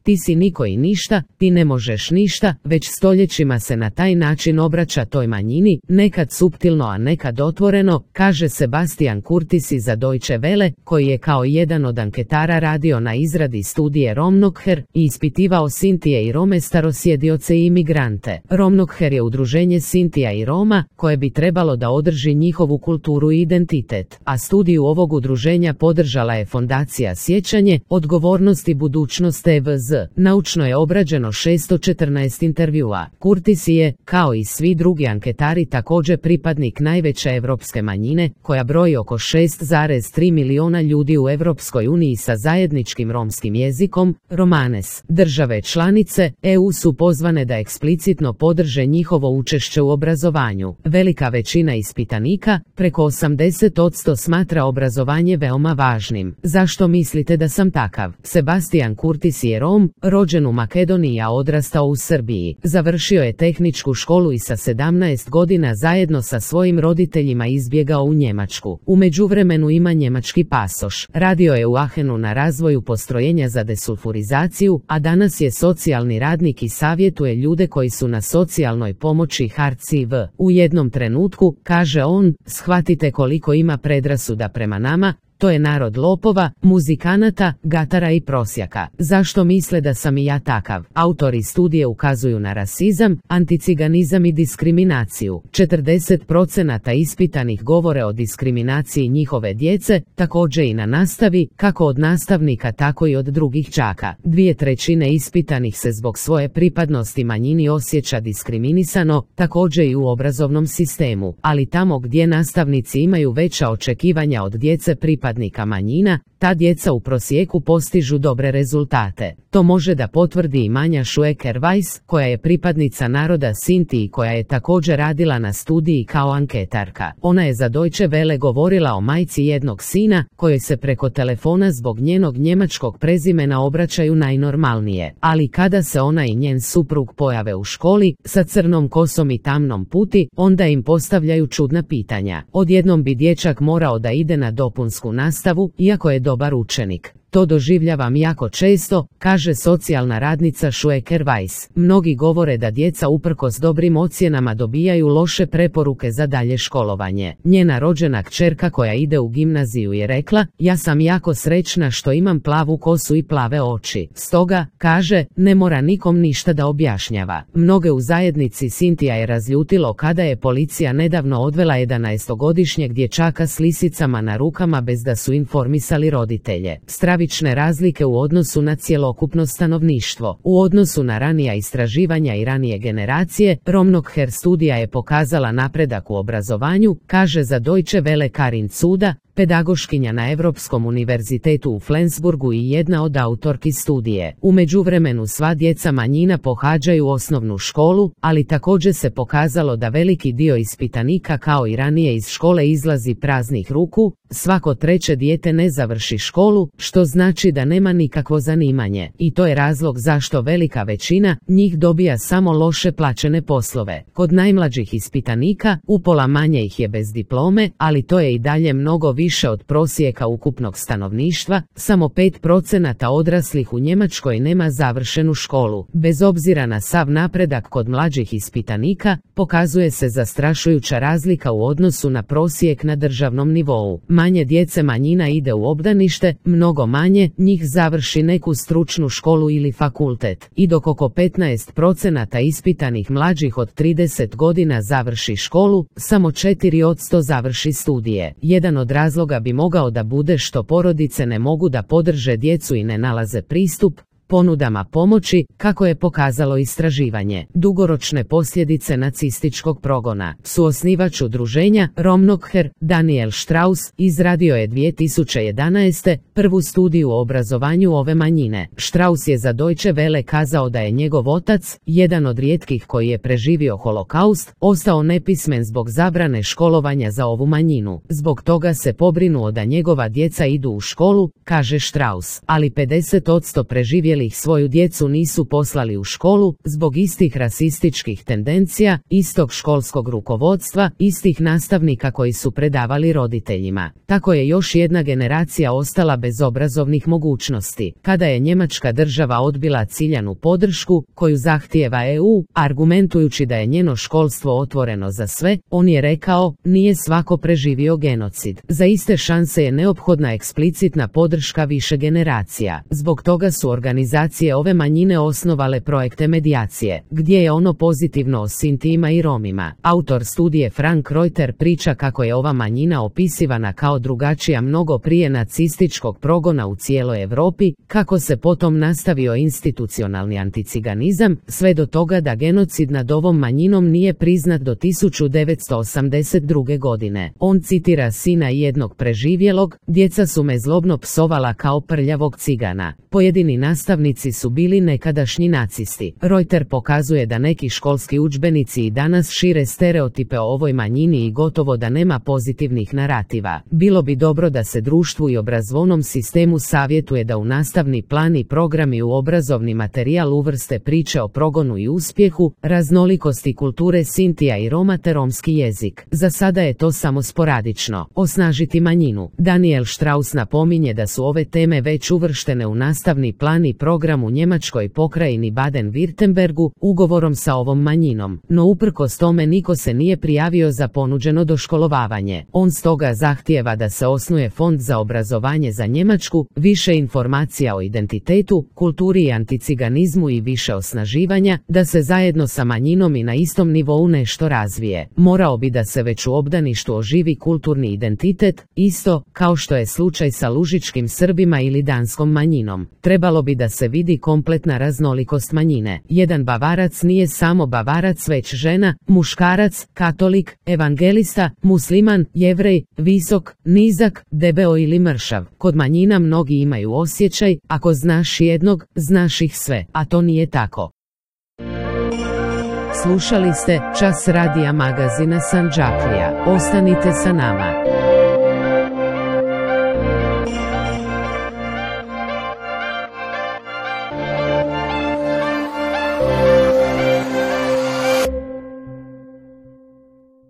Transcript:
ti si niko i ništa, ti ne možeš ništa, već stoljećima se na taj način obraća toj manjini, nekad suptilno a nekad otvoreno, kaže Sebastian Kurtis za Deutsche Welle, koji je kao jedan od anketara radio na izradi studije Romnokher i ispitivao Sintije i Rome starosjedioce i imigrante. Romnokher je udruženje Sintija i Roma, koje bi trebalo da održi njihovu kulturu i identitet, a studiju ovog udruženja podržala je Fondacija Sjećanje, Odgovornost i budućnost EVZ. Naučno je obrađeno 614 intervjua. Kurtis je, kao i svi drugi anketari, također pripadnik najveće evropske manjine, koja broji oko 6,3 miliona ljudi u Evropskoj uniji sa zajedničkim romskim jezikom, Romanes. Države članice EU su pozvane da eksplicitno podrže njihovo učešće u obrazovanju. Velika većina ispitanika, preko 80%, smatra obrazovanje veoma važnim. Zašto mislite da sam takav? Sebastian Kurtis je Rom, rođen u Makedoniji a odrastao u Srbiji. Završio je tehničku školu i sa 17 godina zajedno sa svojim roditeljima izbjegao u Njemačku. U međuvremenu ima njemački pasoš. Radio je u Aachenu na razvoju postrojenja za desulfurizaciju, a danas je socijalni radnik i savjetuje ljude koji su na socijalnoj pomoći HCV. U jednom trenutku, kaže on, shvatite koliko ima predrasuda prema nama, to je narod lopova, muzikanata, gatara i prosjaka. Zašto misle da sam i ja takav? Autori studije ukazuju na rasizam, anticiganizam i diskriminaciju. 40% ispitanih govore o diskriminaciji njihove djece, također i na nastavi, kako od nastavnika tako i od drugih đaka. 2/3 ispitanih se zbog svoje pripadnosti manjini osjeća diskriminisano, također i u obrazovnom sistemu, ali tamo gdje nastavnici imaju veća očekivanja od djece pripadnika manjina, ta djeca u prosjeku postižu dobre rezultate. To može da potvrdi i Manja Šueker-Weiss, koja je pripadnica naroda Sinti i koja je također radila na studiji kao anketarka. Ona je za Deutsche Welle govorila o majci jednog sina, kojoj se preko telefona zbog njenog njemačkog prezimena obraćaju najnormalnije. Ali kada se ona i njen suprug pojave u školi, sa crnom kosom i tamnom puti, onda im postavljaju čudna pitanja. Odjednom bi dječak morao da ide na dopunsku nastavu, iako je dobar učenik. To doživljavam jako često, kaže socijalna radnica Šueker-Weiss. Mnogi govore da djeca uprkos dobrim ocjenama dobijaju loše preporuke za dalje školovanje. Njena rođena kćerka koja ide u gimnaziju je rekla, ja sam jako srećna što imam plavu kosu i plave oči. Stoga, kaže, ne mora nikom ništa da objašnjava. Mnoge u zajednici Sintija je razljutilo kada je policija nedavno odvela 11-godišnjeg dječaka s lisicama na rukama bez da su informisali roditelje. Stravične razlike u odnosu na cjelokupno stanovništvo. U odnosu na ranija istraživanja i ranije generacije, Romnokher studija je pokazala napredak u obrazovanju, kaže za Deutsche Welle Karin Cuda, pedagoškinja na Europskom univerzitetu u Flensburgu i jedna od autorki studije. U međuvremenu sva djeca manjina pohađaju osnovnu školu, ali također se pokazalo da veliki dio ispitanika kao i ranije iz škole izlazi praznih ruku, svako treće dijete ne završi školu, što znači da nema nikakvo zanimanje. I to je razlog zašto velika većina njih dobija samo loše plaćene poslove. Kod najmlađih ispitanika, upola manje ih je bez diplome, ali to je i dalje mnogo više od prosjeka ukupnog stanovništva, samo 5% odraslih u Njemačkoj nema završenu školu. Bez obzira na sav napredak kod mlađih ispitanika, pokazuje se zastrašujuća razlika u odnosu na prosjek na državnom nivou. Manje djece manjina ide u obdanište, mnogo manje njih završi neku stručnu školu ili fakultet. I dok oko 15% ispitanih mlađih od 30 godina završi školu, samo 4% završi studije. Jedan od razloga bi mogao da bude što porodice ne mogu da podrže djecu i ne nalaze pristup ponudama pomoći, kako je pokazalo istraživanje. Dugoročne posljedice nacističkog progona. Suosnivač udruženja, Romnokher, Daniel Strauss, izradio je 2011. prvu studiju o obrazovanju ove manjine. Strauss je za Deutsche Welle kazao da je njegov otac, jedan od rijetkih koji je preživio holokaust, ostao nepismen zbog zabrane školovanja za ovu manjinu. Zbog toga se pobrinuo da njegova djeca idu u školu, kaže Strauss, ali 50% preživjelih roditelji ih svoju djecu nisu poslali u školu zbog istih rasističkih tendencija, istog školskog rukovodstva, istih nastavnika koji su predavali roditeljima. Tako je još jedna generacija ostala bez obrazovnih mogućnosti. Kada je Njemačka država odbila ciljanu podršku koju zahtijeva EU, argumentujući da je njeno školstvo otvoreno za sve, on je rekao, nije svako preživio genocid. Za iste šanse je neophodna eksplicitna podrška više generacija. Zbog toga su organizacije ove manjine osnovale projekte medijacije, gdje je ono pozitivno o Sintijima i Romima. Autor studije Frank Reuter priča kako je ova manjina opisivana kao drugačija mnogo prije nacističkog progona u cijeloj Europi, kako se potom nastavio institucionalni anticiganizam, sve do toga da genocid nad ovom manjinom nije priznat do 1982. godine. On citira sina jednog preživjelog, djeca su me zlobno psovala kao prljavog cigana. Pojedini nastavnici su bili nekadašnji nacisti. Reuter pokazuje da neki školski udžbenici i danas šire stereotipe o ovoj manjini i gotovo da nema pozitivnih narativa. Bilo bi dobro da se društvu i obrazovnom sistemu savjetuje da u nastavni plan i programi u obrazovni materijal uvrste priče o progonu i uspjehu, raznolikosti kulture Sintija i Roma te romski jezik. Za sada je to samo sporadično. Osnažiti manjinu. Daniel Strauss napominje da su ove teme već uvrštene u nastavni plan i program u Njemačkoj pokrajini Baden-Württembergu ugovorom sa ovom manjinom, no uprkos tome niko se nije prijavio za ponuđeno doškolovavanje. On stoga zahtijeva da se osnuje fond za obrazovanje za Njemačku, više informacija o identitetu, kulturi i anticiganizmu i više osnaživanja, da se zajedno sa manjinom i na istom nivou nešto razvije. Morao bi da se već u obdaništu oživi kulturni identitet, isto kao što je slučaj sa lužičkim Srbima ili danskom manjinom. Trebalo bi da se vidi kompletna raznolikost manjine. Jedan Bavarac nije samo Bavarac već žena, muškarac, katolik, evangelista, musliman, jevrej, visok, nizak, debeo ili mršav. Kod manjina mnogi imaju osjećaj, ako znaš jednog, znaš ih sve, a to nije tako. Slušali ste Čas radija magazina Sandžaklija. Ostanite sa nama.